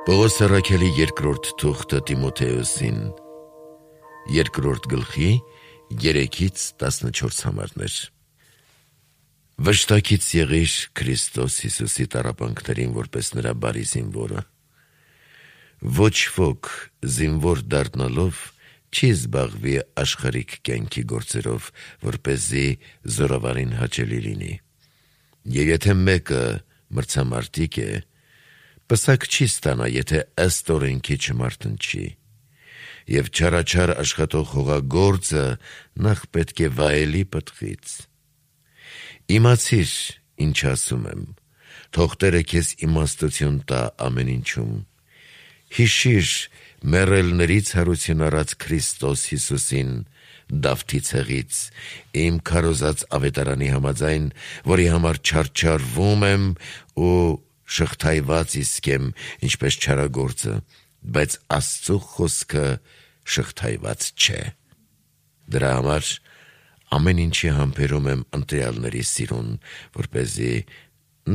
Պողոս առաքյալի երկրորդ թուղթը Տիմոթեոսին, երկրորդ գլխի 3-14 համարներ։ Վշտակից եղիր Քրիստոս Հիսուսի տառապանքներին, որպես նրա բարի զինվորը։ Ոչ ոք զինվոր դառնալով չի զբաղվի աշխարհիկ կյանքի գործերով, որպեսզի զորավարին հաճելի լինի։ Եվ եթե մեկը մրցամարտիկ է, պսակ չի ստանա, եթե ըստ օրենքի չմարտնչի։ Եվ չարաչար աշխատող հողագործը նախ պետք է վայելի պտղից։ Իմացիր, ինչ ասում եմ, թող Տերը քեզ իմաստություն տա ամեն ինչում։ Հիշիր մեռելներից հարություն առած Քրիստոս Հիսուսին Դավթի ցեղից, իմ քարոզած ավետարանի համաձայն, որի համար չարչարվում եմ ու շղթայված իսկ եմ, ինչպես չարագործը, բայց Աստծու խոսքը շղթայված չէ։ Դրա համար ամեն ինչի համբերում եմ ընտրյալների սիրուն, որպեսզի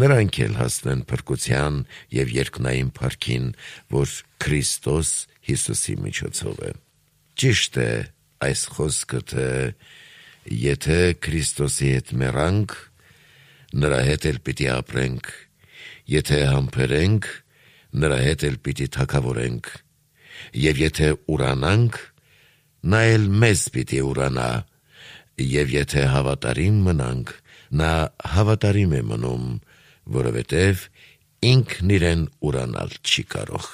նրանք էլ հասնեն փրկության և երկնային փառքին, որ Քրիստոս Հիսուսի միջոցով է։ Ճիշտ է այս խոսքը, թե եթե Քրիստոսի հետ մեռանք, նրա հետ էլ պիտի ապրենք, եթե համբերենք, նրա հետ էլ պիտի թագավորենք, և եթե ուրանանք, նա էլ մեզ պիտի ուրանա, և եթե հավատարիմ մնանք, նա հավատարիմ է մնում, որովհետև ինքն իրեն ուրանալ չի կարող։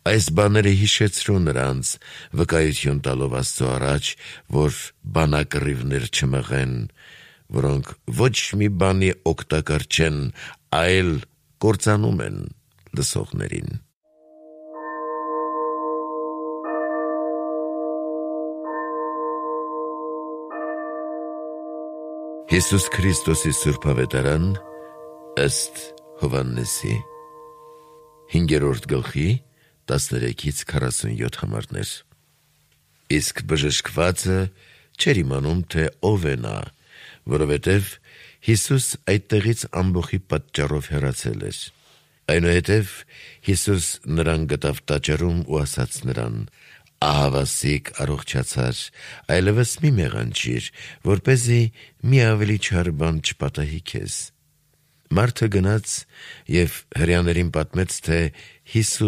Այս բաները հիշեցրու նրանց, վկայություն տալով Աստծո առաջ, որ բանակռիվներ չմղեն, որոնք ոչ մի բանի օգտակար չեն, այլ կործանում են լսողներին։ Հիսուս Քրիստոսի Սուրբ Ավետարան ըստ Հովհաննեսի 5-րդ գլխի 13-47 համարներ։ Իսկ բժշկվածը չէր իմանում, թե ով է նա, որովհետև Հիսուս այդտեղից ամբոխի պատճառով հեռացել էր։ Այնուհետև Հիսուս նրան գտավ տաճարում ու ասաց նրան. «Ահավասիկ առողջացար, այլևս մի մեղանչիր, որպեսզի մի ավելի չար բան չպատահի քեզ»։ Մարդը գնաց և հրեաներին պատմեց, թե Հիսուս